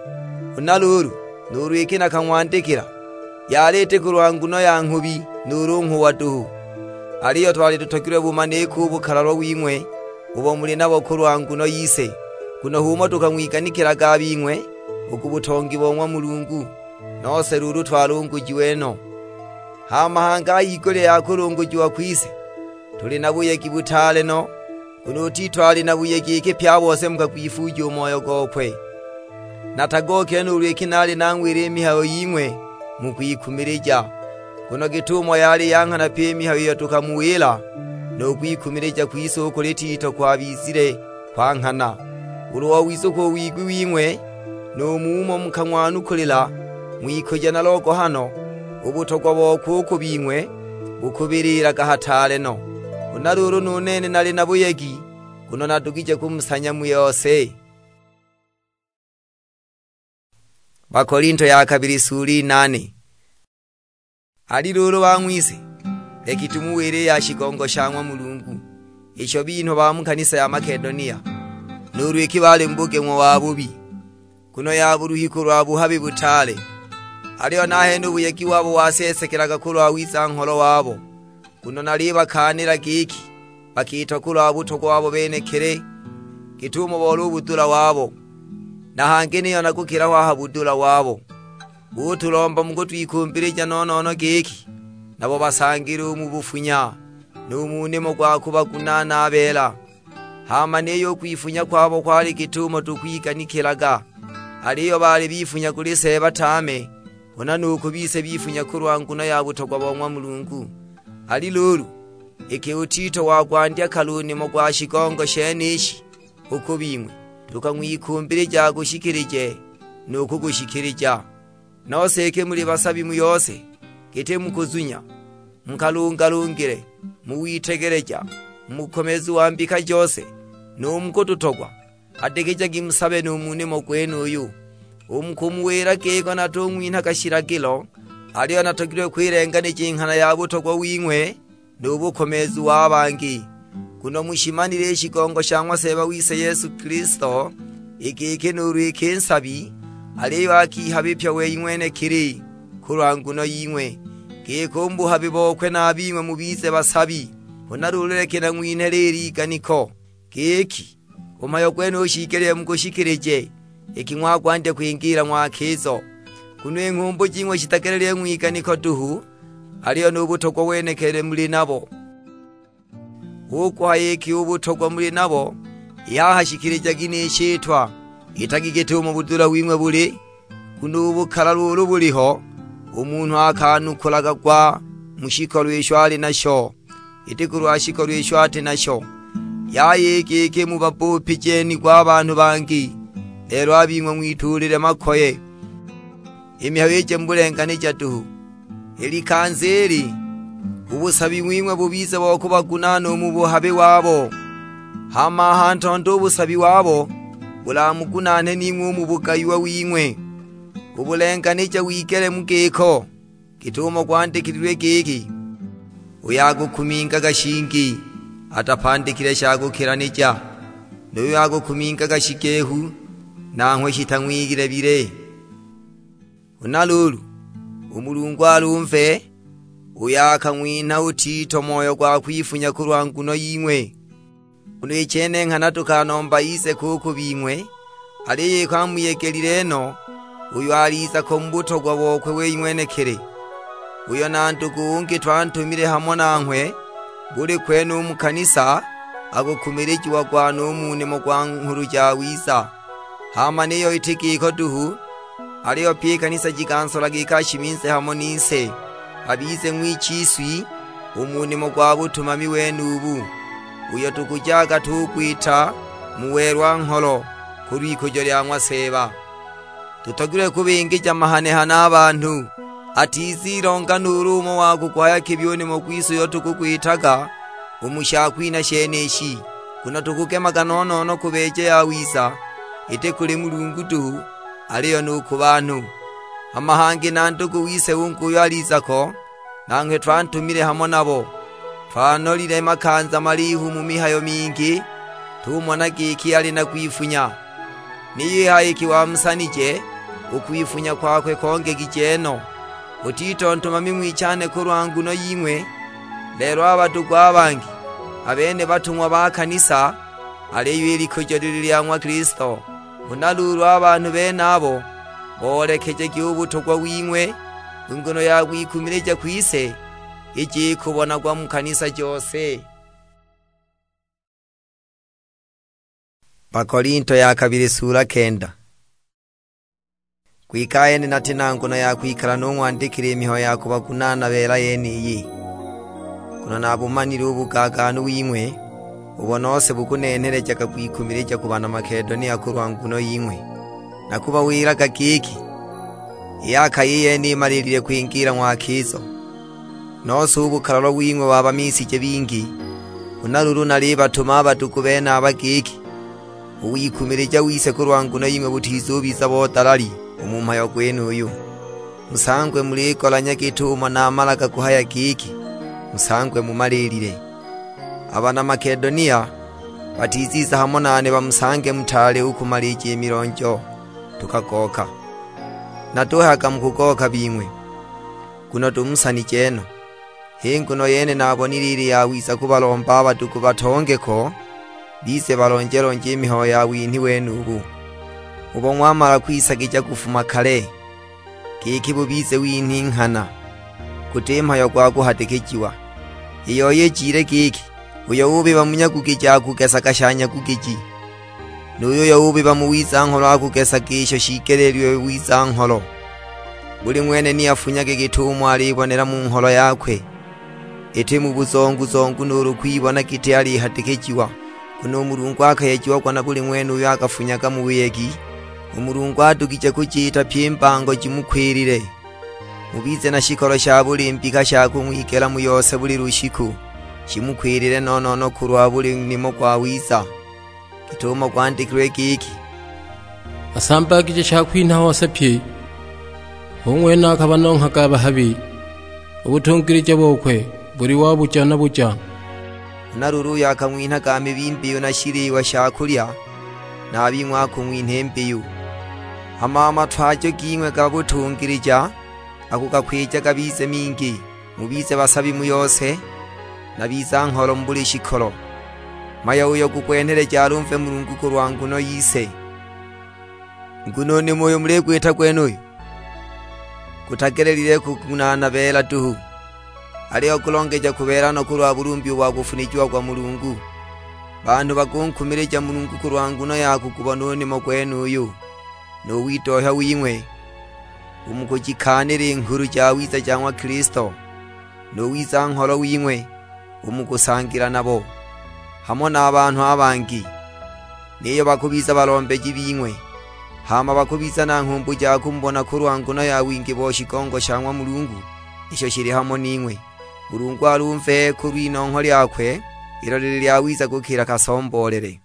Huna luulu, nuulu iki nakang'wandikila, yali iti kulwa nguno ya nghubi nuulu nghuwa duhu, aliyo twali tutogilwe bumanike u bukalalwa wing'we ubo muli nabo kulwa nguno yise, nguno h'umo tukang'wiganikilaga a bing'we u ku butongi bo ng'wa Mulungu, nose luulu twalungujiwe no. Hama hangi a higulya ya kulungujiwa kwise, Tuli na buyegi butaale no, nguno u Tito ali na buyegi iki pye a bose mukagwifuuja u moyo gokwe. Natagokile nuulu iki naali nang'wila i mihayo ying'we mu kwikumilija, nguno git'umo yali ya nghana pyi i mihayo iyo tukamuwila, nu kwikumilija kwise u kuli Tito kwabizile kwa nghana. Ulu wawiza u ku wigwi wing'we, nu mumo mukang'wanukulila ng'wikujo na logohano, u butogwa bokwe u ku bing'we bukubiliilaga hataale no. Huna luulu nu nene nali na buyegi, nguno nadugije kumusanya mu yose. Bakolinto ya kabili sula inane. Ali luulu bang'wise, leki tumuwile i ya shigongo sha ng'wa Mulungu, isho binhwa ba mu kanisa ya Makedonia, nuulu iki baali mu bugeng'wa wabubi, nguno ya buluhi kulwa buhabi butaale. Aliyo nahene u buyegi wabo waseesekelaga kulwa wiza-ngholo wabo, nguno nalibakaanila giki bakiitwa kulwa butogwa wabo benekili, git'umo boli u budula wabo, na hangi niyo nakukila ho a ha budula wabo. Butulomba mu kutwikumbilija no-no-no giki nabo basangile u mu bufunya, nu mu nimo gwa kubagunaana a beela. Hama niyo u kwifunya kwabo kwali git'umo tukwiganikilaga, aliyo baali bifunya kuli Seeba tame, huna nu ku bise bifunya kulwa nguno ya butogwa bo ng'wa Mulungu. Ali luulu, iki u Tito wakwandya kale u nimo gwa shigongo shenishi u ku bing'we, tukang'wikumbilija agushikilije nu kugushikilija. Nose iki muli basabi mu yose, giti mu kuzunya, mu kalungalungile, mu witegeleja, mu bukomeezu wa mbika jose, nu mu kututogwa, hadikijagi musabe nu mu nimo gwenuyu. U mu kumuwila giko natung'winhaga shilagilo, aliyo natogilwe kwilenganija i nghana ya butogwa wing'we, nu bukomeezu wa bangi. Nguno mushimanile i shigongo sha ng'wa Seeba wise Yesu Kilisto, i giki nuulu iki nsabi, aliyo akihabipya wei ng'wenekili kulwa nguno ying'we, giki u mu buhabi bokwe na a bing'we mubize basabi. Huna luulu leki nang'winhe liili iganiko, giki u mhayo gwenuyu shiigelile mugushikilije, iki ng'wakwandya kwingila ng'wakizo. Nguno i nghumbu jing'we shitagelile ng'wiganiko duhu, aliyo nu butogwa wenekili muli nabo. Hu kuhaya iki u butogwa muli nabo, i haha shikilijagi ni shitwa, itagi git'umo budula wing'we buli, nguno u bukalalu ulu buliho, u munhu akanukulaga gwa mu shikolo isho ali nasho, iti kulwa shikolo isho ati nasho. Yaya i giki mubabbuupijenigwe a banhu bangi, lelo a bing'we ng'wituulile makoye. I mihayo ije mu bulenganija duhu. I likanza ili, u busabi wing'we bubize bo kubagunaana u mu buhabi wabo, hama a ha ntondo u busabi wabo bulamugunaane ning'we u mu bugayiwa wing'we. U bulenganija wigele mu giko, git'umo gwandikililwe giki, "Uyo akukumingaga shingi atapandikile sha kukilanija, nu yuyo akukumingaga shigehu, nanghwe shitang'wigile bile." Huna luulu, u Mulungu alumve, uyo akang'winha u Tito moyo gwa kwifunya kulwa nguno ying'we. Nguno i chene nghana tukanomba ize ko u ku bing'we, aliyo iki amuyegelile no, uyo aliza ko mu butogwa bokwe wei ng'wenekili. Uyo na ndugu ungi twantumile hamo nanghwe, buli kwene u mu kanisa, akukumilijiagwa nu mu nimo gwa Nghulu Jawiza. Hama niyo iti giko duhu, aliyo pyi i kanisa jikansolaga iki ashiminze hamo nise, abize ng'wichiswi u mu nimo gwa butumami wenubu, uyo tukujaga tugwita mu welwa-ngholo kulw'ikujo lya ng'wa Seeba. Tutogilwe kubingija mahanehane a banhu, atizilonga nuulu umo wa kuguhaya kibi u nimo gwise uyo tukugwitaga u mu shakwinha shenishi, nguno tukugemaga no-no-no kubeeja yawiza, iti kuli Mulungu duhu, aliyo nu ku banhu. Hama hangi na ndugu wise ungi uyo aliza ko, nanghwe twantumile hamo nabo. Twanolile makanza malihu mu mihayo mingi, tumona giki ali na kwifunya. Niyo i haha iki wamusanije, u kwifunya kwakwe kongegije no. U Tito ntumami ng'wichane kulwa nguno ying'we, lelo a badugu a bangi, a bene batung'wa ba kanisa, aliyo i likujo lili lya ng'wa Kilisto. Huna luulu a banhu benabo boolekejagi u butogwa wing'we, i nguno ya kwikumilija kwise ije ikubonagwa mu kanisa jose. Bakolinto ya kabili sula kenda. Kwike ahene nati na nguno ya kwikala nung'wandikila i mihayo ya kubagunaana beela yeniyi, nguno nabumanile u bugaganu wing'we, ubo nose bukunenhelejaga kwikumilija ku bana Makedonia kulwa nguno ying'we. Nakubawilaga giki, i yaka i yene imalilile kwingila ng'wakizo, nose u bukalalo wing'we wabamisije bingi. Huna luulu nalibatuma a badugu benaba giki, u wikumilija wise kulwa nguno ying'we butizubiza bo dalali u mu mhayo gwenuyu. Musangwe muligolanya git'umo namalaga kuhaya giki, musangwe mumalilile. A bana Makedonia batiziza hamo nane bamusange mutaali u kumalija i milonjo, tukagoka. Natuhayaga mu kugoka bing'we, nguno tumusanije no. H'i nguno yene nabonile ili yawiza kubalomba a badugu batongeko, bize balonje-lonje i mihayo ya winhi wenubu, ubo ng'wamala kwisagija kufuma kale, giki bubize winhi nghana, guti mhayo gwa kuhadikijiwa. I yoi ijile giki, uyo ubiba mu nyagugiji akugesaga sha nyagugiji, nu yuyo ubiba mu wiza-ngholo akugesaga isho shigeleelilwe wiza-ngholo. Buli ng'wene ni afunyage git'umo alibonela mu ngholo yakwe, iti mu buzongu-zongu nuulu kwibona giti alihadikijiwa, nguno u Mulungu akayejiagwa na buli ng'wene uyo akafunyaga mu buyegi. U Mulungu adugije kujiita pyi i mbango jimukwilile. Mubize na shikolo sha buli mbika sha kung'wigela mu yose buli lushiku, shimukwilile no-no-no kulwa buli nimo gwawiza, git'umo gwandikilwe giki, "Asambagije shakwinha hose pye, hu ng'wene akabanonghaga a bahabi, u butungilija bokwe buli wa buja na buja." Huna luulu uyo akang'winhaga mibi mbiyu na shiliwa sha kulya, na a bing'we akung'winha i mbiyu. Hama a matwajo ging'we ga butungilija akugakwija gabize mingi, mubize basabi mu yose, na biza-ngholo mu buli shikolo. Mhayo uyo gukwenheleja alumve Mulungu kulwa nguno yise. Nguno u nimo uyo muligwita gwenuyu, gutagelelile kugunaana beela duhu, aliyo gulongeja kubeela no kulwa bulumbi ubo bwakufunijiagwa Mulungu. Banhu bakunkumilija Mulungu kulwa nguno ya kugubona u nimo gwenuyu, nu widohya wing'we u mu kujikaanila i Nghulu Jawiza ja ng'wa Kilisto, nu wiza-ngholo wing'we u mu kusangila nabo, hamo na a banhu a bangi, niyo bakubiza balombeji bing'we, hama bakubiza na nghumbu ja kumubona kulwa nguno ya wingi bo shigongo sha ng'wa Mulungu isho shili hamo ning'we. Mulungu alumve kulw'inongho lyakwe ilo lili lyawiza kukila kasomboolele.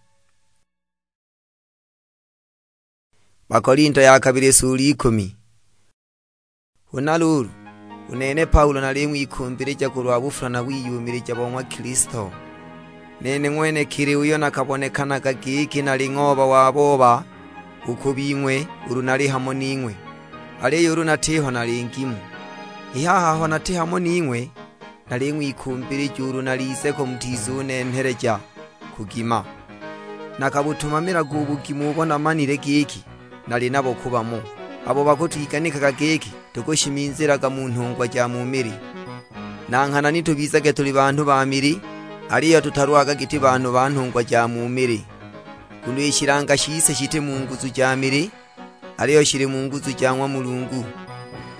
Bakolinto ya kabili sula ikumi. Huna luulu, u nene Paulo naling'wikumbilija kulwa bufula na wiyumilija bo ng'wa Kilisto. Nene ng'wenekili uyo nakabonekanaga giki nali ng'ooba wa booba u ku bing'we ulu nali hamo ning'we, aliyo ulu natiho nali ngimu. I haha aho nati hamo ning'we, naling'wikumbilija ulu nalize ko mutizunenheleja kugima. Nakabutumamilaga u bugimu ubo namanile giki nali nabo ku bamo, abo bakutwiganikaga giki tukushiminzilaga mu nhungwa ja mu mili. Na nghana ni tubizage tuli banhu ba mili, aliyo tutalwaga giti banhu ba nhungwa ja mu mili. Nguno i shilanga shise shiti mu nguzu ja mili, aliyo shili mu nguzu ja ng'wa Mulungu,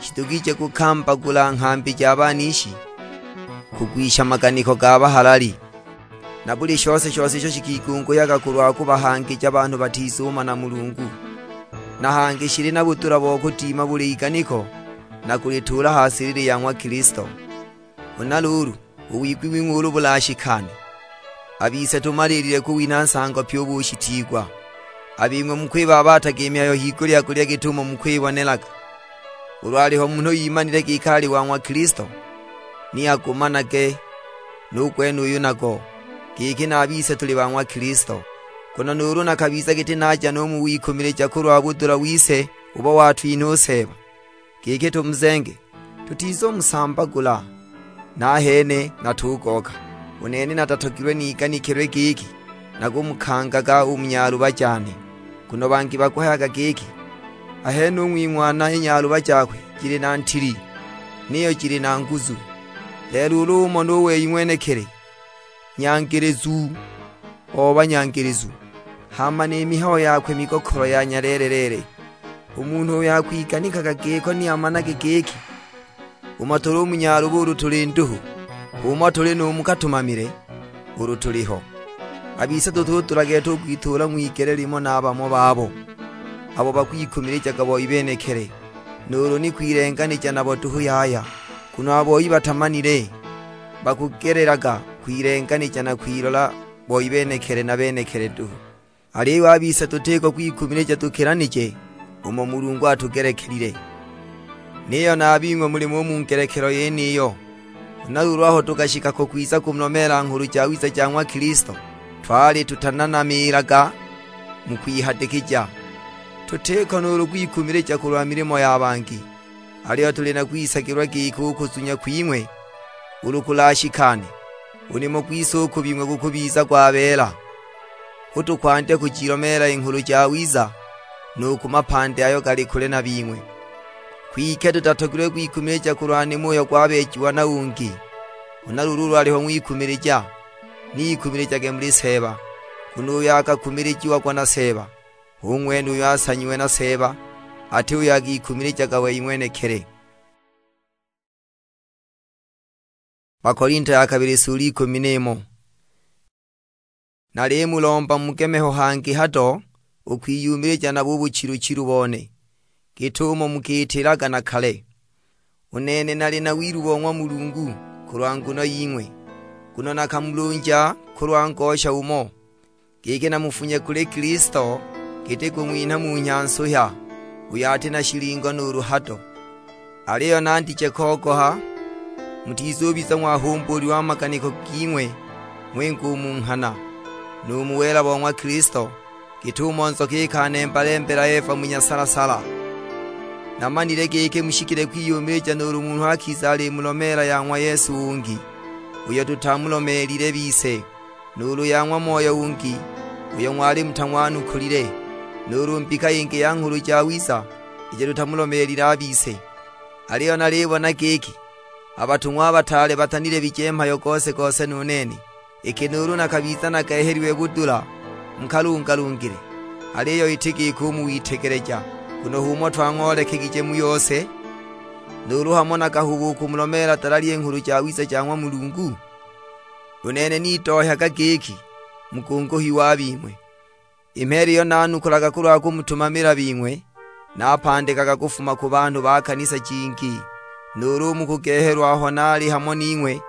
shidugije kukambagula nghambi ja banishi, kugwisha maganiko ga bahalali, na buli shose-shose isho shikigunguhyaga kulwa kubahangija banhu batizumana Mulungu. Na hangi shili na budula bo kudima buli iganiko, na kulituula ha silili ya ng'wa Kilisto. Huna luulu, u wigwi wing'we ulu bulashikane, a bise tumaliilile kuwinha nsango pyi u bushitiigwa. A bing'we mukwibaabataga i mihayo higulya-gulya git'umo mukwibonelaga. Ulu aliho munhu imanile giki ali wa ng'wa Kilisto, ni agumanage nu gwenuyu nago, giki na a bise tuli ba ng'wa Kilisto. Nguno nuulu nakabiza giti naja nu mu wikumilija kulwa budula wise ubo watwinha u Seeba, giki tumuzenge, tutizumusambagula, nahene natugoka. U nene natatogilwe niganikilwe giki nakumukangaga u mu nyaluba jane, nguno bangi bakuhayaga giki, "Ahene u ng'wing'wana i nyaluba jakwe jili na ntili, niyo jili na nguzu." Lelo ulu umona u wei ng'wenekili, nyangilizu o banyangilizu, hama ni mihayo yakwe migokolo ya nyaleele-leele. U munhu uyo akwiganikaga giko ni amanage giki, umo tuli u mu nyaluba ulu tuli nduhu, h'umo tuli nu mu katumamile ulu tuliho. A bise tutudula gete u kwituula ng'wigele limo na bamo babo abo bakwikumilijaga boi benekili, nuulu ni kwilenganija nabo duhu yaya, nguno a boi batamanile, bakugelelaga kwilenganija na kwilola boi benekili na benekili duhu. Aliyo a bise tutiko kwikumilija tukilanije umo Mulungu atugelekelile. Niyo na a bing'we mulimo u mu ngelekelo yeniyo. Huna luulu aho tukashika ko kwiza kumulomeela Nghulu Jawiza ja ng'wa Kilisto, twali tutananamiilaga mu kwihadikija, tutiko nuulu kwikumilija kulwa milimo ya bangi. Aliyo tuli na kwisagilwa giki u kuzunya kwing'we ulu kulashikane, u nimo gwise u ku bing'we gukubiza gwabeela. Hu tukwandya kujilomeela i Nghulu Jawiza nu ku mapandi ayo gali kule na bing'we. Kwike tutatogilwe kwikumilija kulwa nimo uyo gwabeejiwa na ungi. Huna luulu ulu aliho ng'wikumilija, ni ikumilijage muli Seeba, nguno uyo akakumilijiagwa na Seeba, hu ng'wene uyo asanyiwe na Seeba, ati uyo akikumilijaga wei ng'wenekili. Bakolinto ya kabili sula ikumi n'imo. Nalimulomba mugemeho hangi hado u kwiyumilija nabo u buchilu-chilu bone, git'umo mukiitilaga na kale. U nene nali na wilu bo ng'wa Mulungu kulwa nguno ying'we, nguno nakamulunja kulwa ngosha umo, giki namufunye kuli Kilisto giti kung'winha munhya nsuhya, uyo ati na shilingo nuulu hado. Aliyo nandije kogoha, mutizubiza ng'wahumbuulilwe a maganiko ging'we ng'winga u mu nghana, nu mu wela bo ng'wa Kilisto, git'umo nzoka ikanemba-lembela Eva mu nyasala-sala. Namanile giki mushikile kwiyumilija nuulu munhu akiza alimulomeela ya ng'wa Yesu ungi, uyo tutamulomeelile bise, nuulu ya ng'wa moyo ungi, uyo ng'wali mutang'wanukulile, nuulu mbika yingi ya Nghulu Jawiza, ijo tutamulomeelile a bise. Aliyo nalibona giki, a batung'wa a bataale batanilebije mhayo gose-gose nu nene. Iki nuulu nakabiza nagehelilwe budula mu kalungalungile, aliyo iti giko u mu witegeleja, nguno h'umo twang'oolekegije mu yose, nuulu hamo nakahuba u kumulomeela dalali i Nghulu Jawiza ja ng'wa Mulungu? U nene nidohyaga giki mukunguhiwa a bing'we. I mheela iyo nanukulaga kulwa kumutumamila bing'we, napandikaga kufuma ku banhu ba kanisa jingi. Nuulu u mu kugehelwa aho naali hamo ning'we,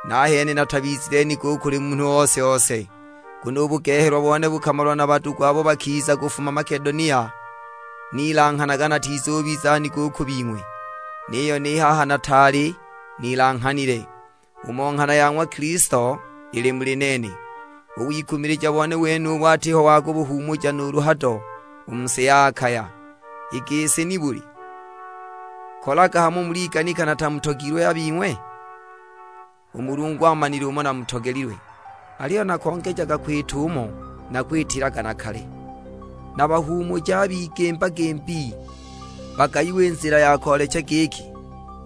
nahene natabizile nigo u kuli munhu ose-ose, nguno u bugehelwa bone bukamalwa na badugu abo bakiza kufuma Makedonia. Nilanghanaga natizubiza nigo u ku bing'we, niyo ni haha nataali nilanghanile. Umo nghana ya ng'wa Kilisto ili muli nene. U wikumilija bone wenubu atiho wa kubuhuumuja nuulu hado u mu si ya Akaya. I gisi nibuli? Kolaga hamo muliganika natamutogilwe a bing'we? U Mulungu amanile umo namutogelilwe, aliyo nakongejaga kwita umo nakwitilaga na kale. Nabahuumuja a bigimba-gimbi, bagayiwe i nzila ya koolecha giki,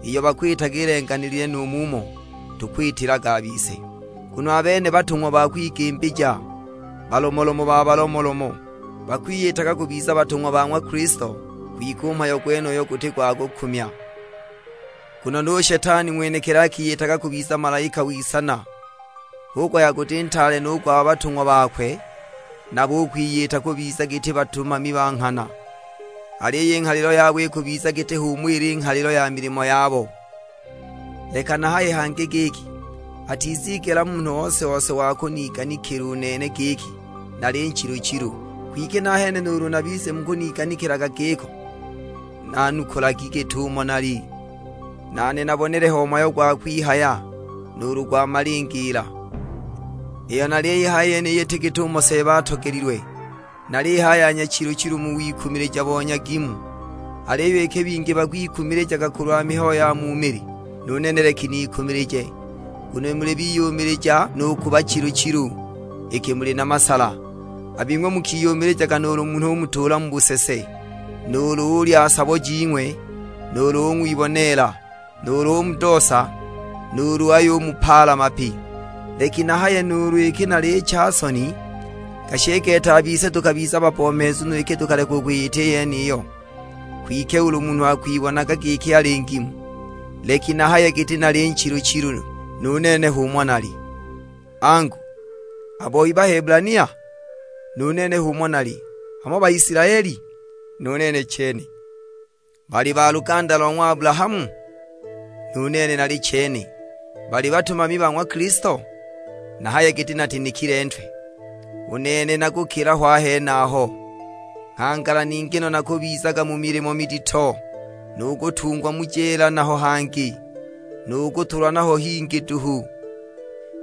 iyo bakwitaga ilenganilile nu mumo tukwitilaga a bise. Nguno a bene batung'wa ba kwigimbija, balomolomo ba balomolomo, bakwiyitaga kubiza batung'wa ba ng'wa Kilisto, kwike u mhayo gwenuyo guti gwa kukumya. Nguno nu Shetani ng'wenekili akiyitaga kubiza malaika w'isana, hu kuhaya guti ntaale nu gwa batung'wa bakwe, nabo u kwiyita kubiza giti batumami ba nghana. Aliyo i nghalilo yabo ikubiza giti h'umo ili nghalilo ya milimo yabo. Leka nahaye hangi giki, atizigela munhu ose-ose wa kuniganikila u nene giki nali nchilu-chilu. Kwike nahene nuulu na bise mukuniganikilaga giko, nanukulagi git'umo nali. Nane nabonele ho mhayo gwa kwihaya, nuulu gwa malingiila. Iyo naliyihaya yeniyi iti git'umo Seeba atogelilwe, nalihaya nyachilu-chilu mu wikumilija bo nyagimu. Aliyo iki bingi bakwikumilijaga kulwa mihayo ya mu mili, nu nene leki nikumilije. Nguno muli biyumilija nu ku bachilu-chilu, iki muli na masala. A bing'we mukiyumilijaga nuulu munhu umutuula mu busese, nuulu ulya sabo jing'we, nuulu ung'wiboneela, nuulu umudoosa, nuulu ayumupaala mapi. Leki nahaye nuulu iki nalicha soni, Gashi i gete a bise tukabiza bapomeezu no iki tukaleka u kwiyita i yeniyo. Kwike ulu munhu akwibonaga giki ali ngimu, leki nahaye giti nali nchilu-chilu, nu nene h'umo nali. Angu, a boi Baheburania? Nu nene h'umo nali. Hamo Baisilaeli? Nu nene chene. Bali ba luganda lo ng'wa Abulahamu? Nu nene nali chene. Bali batumami ba ng'wa Kilisto? Nahaye giti natinikile ntwe. U nene nakukila ho a henaho. Nghangala ningi no nakubizaga mu milimo midito, nu kutungwa mu jeela naho hangi, nu kutulwa naho hingi duhu,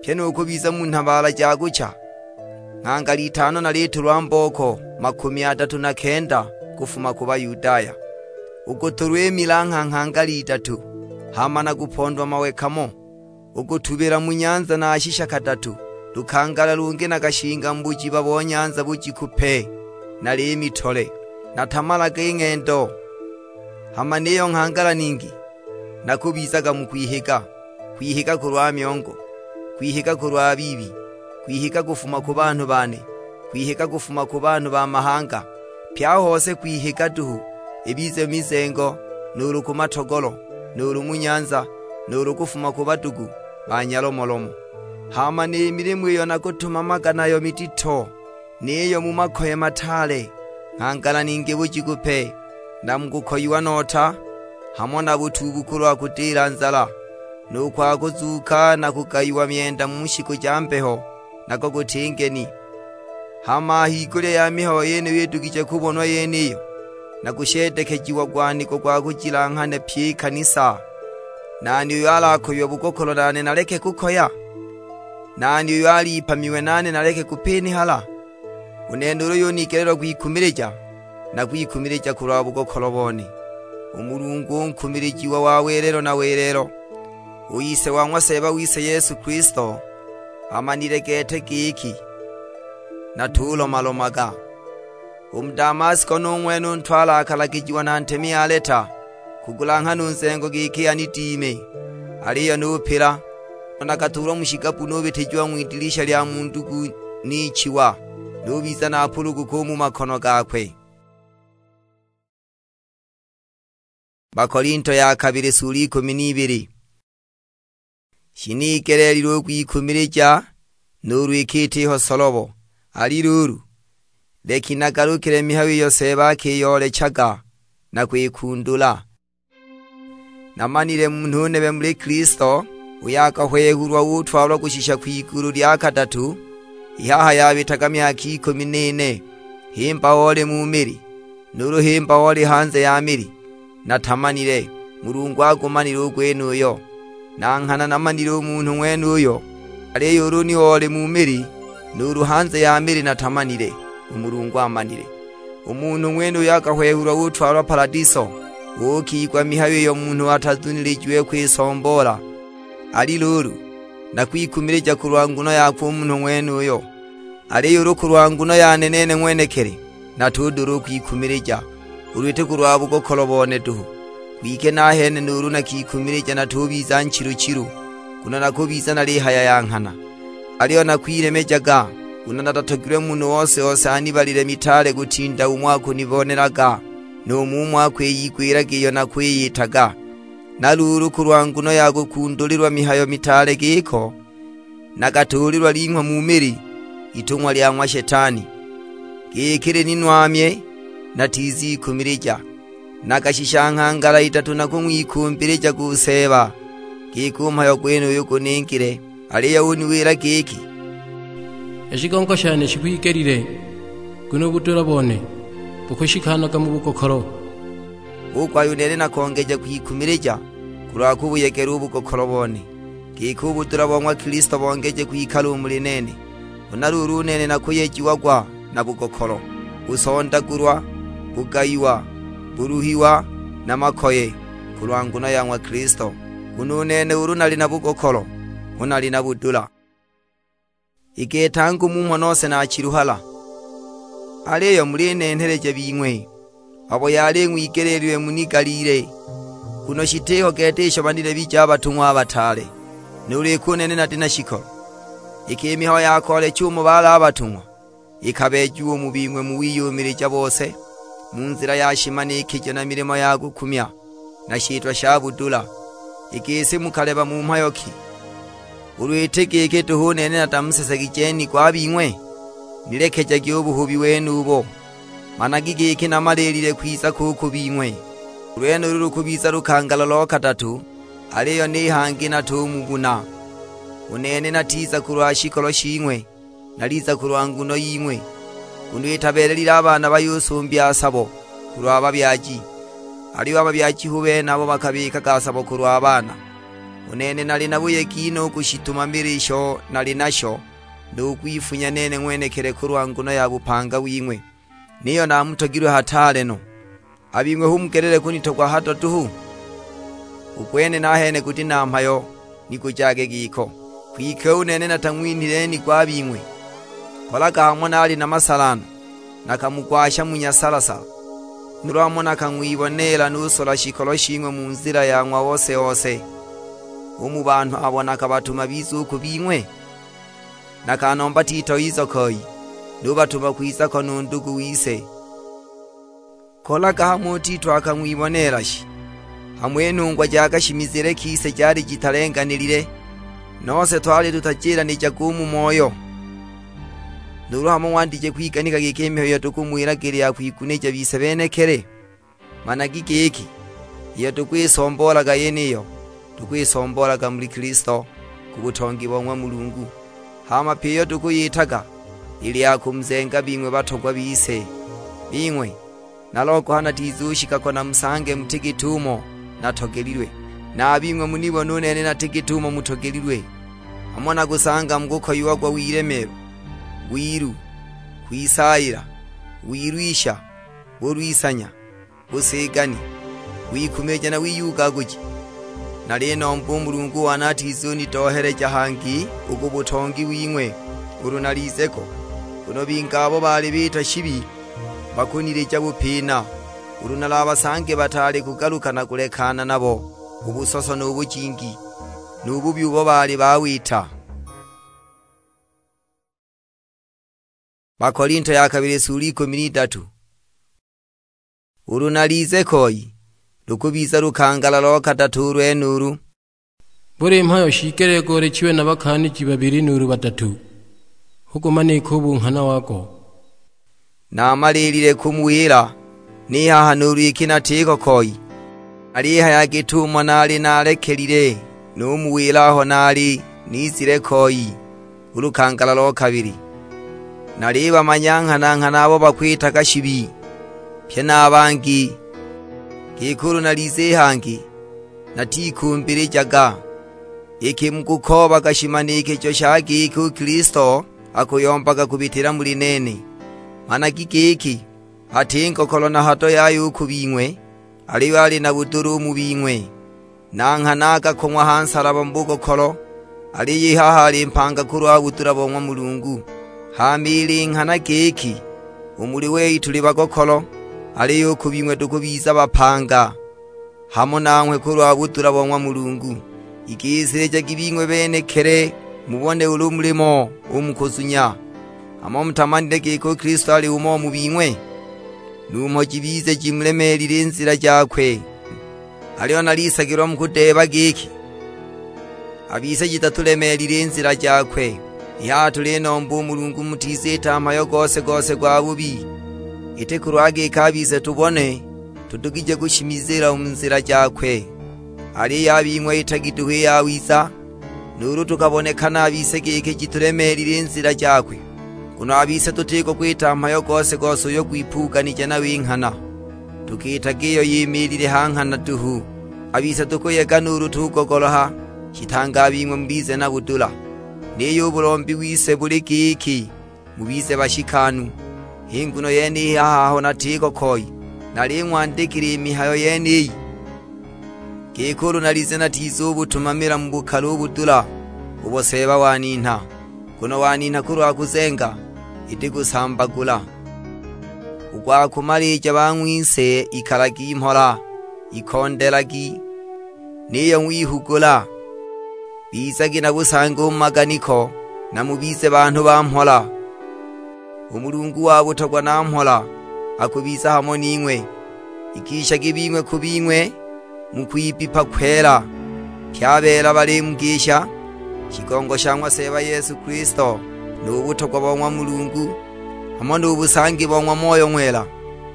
pyi nu kubiza mu nhabaala ja kucha. Nghangala itano nalitulwa mbooko makumi adatu na kenda kufuma ku Bayudaya, u kutulwa i milangha nghangala idatu, hama nakupondwa mawe kamo, u kutubila mu nyanza nashisha kadatu. Lukangala lungi nakashinga mu bujiba bo nyanza bujiku pe, nali mitole, natamalaga i ng'hendo. Hama niyo nghangala ningi nakubizaga mu kwihiga, kwihiga kulwa myongo, kwihiga kulwa biibi, kwihiga kufuma ku banhu bane, kwihiga kufuma ku banhu ba mahanga, pye a hose kwihiga duhu, ibize mu mizengo, nuulu ku matogolo, nuulu mu nyanza, nuulu kufuma ku badugu ba nyalomolomo. Hama ni milimo iyo nakutumamaga nayo midito, niyo mu makoye mataale, nghangala ningi bujiku pe, na mu kukoyiwa nota, hamo na butuubu kulwa kudila nzala, nu kwa kuzuuka na kugayiwa myenda mu shiku ja mbeho, nako guti ngeni. Hama a higulya ya mihayo yeniyo idugije kubonwa yeniyo, na kusheedekejiwa gwaniko gwa kujilanghana pyi i kanisa. Nani uyo alakoyiwe bugokolo nane naleke kukoya? Nani uyo alipamiwe nane naleke kupinihala? U nene ulu yunigelelwa kwikumilija, nakwikumilija kulwa bugokolo bone. U Mulungu u nkumilijiwa wa welelo na welelo, u Ise wa ng'wa Seeba wise Yesu Kilisto, amanile gete giki natulomalomaga. U mu Damasko nu ng'wene u ntwala akalagijiwa na ntemi Aleta kugulanghana u nzengo giki anidime, aliyo nupila. Nakaduulwa mu shigabbu nubitijiwa ng'widilisha lya mu ndugu nichiwa, nubiza napuluguka u mu makono gakwe. Bakolinto ya kabili sula ikumi n'ibili. Shinigeleelilwe u kwikumilija, nuulu iki itiho solobo. Ali luulu, leki nagalukile mihayo iyo Seeba akiyoolechaga na kwikundula. Namanile munhu nebe muli Kilisto, uyo akahwehulwa utwalwa kushisha kwigulu lya kadatu, i haha yabitaga myaka ikumi n'ine, himba oli mu mili, nuulu himba oli hanze ya mili, natamanile. Mulungu agumanile u gwenuyo. Na nghana namanile u munhu ng'wenuyo, aliyo ulu ni oli mu mili, nuulu hanze ya mili natamanile, u Mulungu amanile. U munhu ng'wenuyo akahwehulwa utwalwa Paladiso, uukigwa mihayo iyo munhu atazunilijiwe kwisomboola. Ali luulu, nakwikumilija kulwa nguno yakwe u munhu ng'wenuyo. Aliyo ulu kulwa nguno yane nene ng'wenekili, natudula u kwikumilija, ulu iti kulwa bugokolo bone duhu. Kwike nahene nuulu nakikumilija natubiza nchilu-chilu, nguno nakubiza nalihaya ya nghana. Aliyo nakwilemejaga, nguno natatogilwe munhu ose-ose anibalile mitaale kutinda umo akunibonelaga, nu mu umo akwiyigwilaga iyo nakwiyitaga. Na luulu kulwa nguno ya kukundulilwa mihayo mitaale giko, nakatuulilwa ling'we mu mili, itung'wa lya ng'wa Shetani, giki lininwamye natizikumilija. Nakashisha nghangala idatu nakung'wikumbilijaga u Seeba, giki u mhayo gwenuyu guningile. Aliyo uniwila giki, "I shigongo shane shikwigelile, nguno u budula bone bukushikanaga mu bugokolo." Hu kuhaya u nene nakongeja kwikumilija kulwa kubuyegela u bugokolo bone, giki u budula bo ng'wa Kilisto bongeje kwikala u muli nene. Huna luulu u nene nakuyejiagwa na bugokolo, kusondagulwa, kugayiwa, kuluhiwa, na makoye, kulwa nguno ya ng'wa Kilisto. Nguno u nene ulu nali na bugokolo, hu nali na budula. I gete angu mumo nose nachiluhala, aliyo mulinenheleja bing'we abo yali ing'wigeleelilwe munigaliile, nguno shitiho gete isho banilebije a batung'wa a bataale, nuulu iki u nene nati na shikolo. Iki i mihayo ya koolecha umo baali a batung'wa, ikabeejiwe u mu bing'we mu wiyumilija bose, mu nzila ya shimanikijo na milimo ya kukumya, na shitwa sha budula. I gisi mukaleba mu mhayo ki? Ulu iti giki duhu u nene natamusesegije nigo a bing'we? Nilekejagi u buhubi wenubo, managi giki namaliilile kwiza ko u ku bing'we. U lwenulo lukubiza lukangala lo kadatu, aliyo ni hangi natumubuna. U nene natiza kulwa shikolo shing'we, naliza kulwa nguno ying'we, nguno itabeelelile a baana bayusumbya a sabo kulwa babyaji, aliyo a babyaji hu bene abo bakabikaga a sabo kulwa baana. U nene nali na buyegi no u kushitumamila isho nali nasho, nu kwifunya nene ng'wenekili kulwa nguno ya bupanga wing'we, niyo namutogilwe hataale no. A bing'we hu mugelile kunitogwa hado duhu? U gwene nahene guti na mhayo, ni gujage giko. Kwike u nene natang'winhile nigo a bing'we. Kolaga hamo naali na masala no, nakamugwasha mu nyasala-sala, nuulu hamo nakang'wiboneela nusola shikolo shing'we mu nzila ya ng'wa ose-ose, u mu banhu abo nakabatuma bize u ku bing'we? Nakanomba Tito ize koi, nubatuma kwiza ko nu ndugu wise. Kolaga hamo u Tito akang'wiboneela shi? Hamo i nhungwa ja kashimizile kise jali jitalenganilile, nose twali tutajilanija u mu moyo? Nuulu hamo ng'wandije kwiganika giki i mihayo iyo tukumuwilaga ili ya kwigunija bise benekili? Managi giki, iyo tukwisomboolaga yeniyo, tukwisomboolaga muli Kilisto, ku butongi bo ng'wa Mulungu. Hama pyi iyo tukuyitaga, ili ya kumuzenga bing'we batogwa bise. Bing'we, nalogoha natizushika ko namusange muti git'umo natogelilwe, na a bing'we munibone u nene nati git'umo mutogelilwe. Hamo nakusanga mukukoyiagwa wilemeelwa, wilu, kwisaayila, wilwisha, bulwisanya, busigani, wikumija na wiyugaguji. Nalinomba u Mulungu wane atizunidoheleja hangi u ku butongi wing'we ulu nalize ko, nguno bingi abo baali biita shibi bakunilija bupina, ulu nalabasange bataali kugaluka na kulekana nabo u busoso nu bujingi, nu bubi ubo baali bawita. Bakolinto ya kabili sula ikumi n'idatu. Ulu nalize koi, lukubiza lukangala lo kadatu u lwenulu. Buli mhayo shiigelile goolechiwe na bakaaniji babili nuulu badatu, hu gumanika u bunghana wago. Namalilile kumuwila, ni haha nuulu iki natiko koi. Nalihaya git'umo naali nalekelile, numuwila aho naali nizile koi u lukangala lo kabili. Nalibamanya nghana-nghana abo bakwitaga shibi, pye na a bangi, giki ulu nalize i hangi, natikumbilijaga. Iki mukukoobaga shimanikijo sha giki u Kilisto akuyombaga kubitila muli nene, managi giki, ati ngokolo na hado yaya u ku bing'we, aliyo ali na budula u mu bing'we. Na nghana akakong'wa ha nsalaba mu bugokolo, aliyo i haha ali mpanga kulwa budula bo ng'wa Mulungu. Hama ili nghana giki, u muli wei tuli bagokolo, aliyo u ku bing'we tukubiza bapanga hamo nanghwe kulwa budula bo ng'wa Mulungu. Igisilijagi bing'we benekili mubone ulu mulimo u mu kuzunya. Hamo mutamanile giki u Kilisto ali umo u mu bing'we? Numho jibize jimulemeelile i nzila jakwe. Aliyo nalisagilwa mukudeeba giki, a bise jitatulemeelile i nzila jakwe. I haha tulinomba u Mulungu mutiziita mhayo gose-gose gwa bubi, iti kulwa giki a bise tubone tudugije kushimizila u mu nzila jakwe. Aliyo a bing'we itagi duhu i yawiza, nuulu tukabonekana a bise giki jitulemeelile i nzila jakwe, nguno a bise tutiko kwita mhayo gose-gose uyo gwipuuganije nayo i nghana. Tukiitaga iyo yimiilile ha nghana duhu. A bise tukuyega nuulu tugogoloha, shitange a bing'we mubize na budula. Niyo u bulombi wise buli giki, mubize bashikanu. H'i nguno yeniyi haha aho natiko koi, naling'wandikila i mihayo yeniyi, giki ulu nalize natizubutumamila mu bukali u budula ubo Seeba waninha, nguno waninha kulwa kuzenga, iti kusambagula. U gwa kumalija bang'wise, ikalagi mhola, ikondelagi, niyo ng'wihugula. Bizagi na busangi u mu maganiko, na mubize banhu ba mhola. U Mulungu wa butogwa na mhola akubiza hamo ning'we. Igishagi bing'we ku bing'we mu kwibbipa kwela, pye a beela balimugisha. Shigongo sha ng'wa Seeba Yesu Kilisto, nu butogwa bo ng'wa Mulungu, hamo nu busangi bo ng'wa Moyo Ng'wela,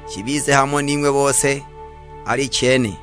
shibize hamo ning'we bose. Alichene.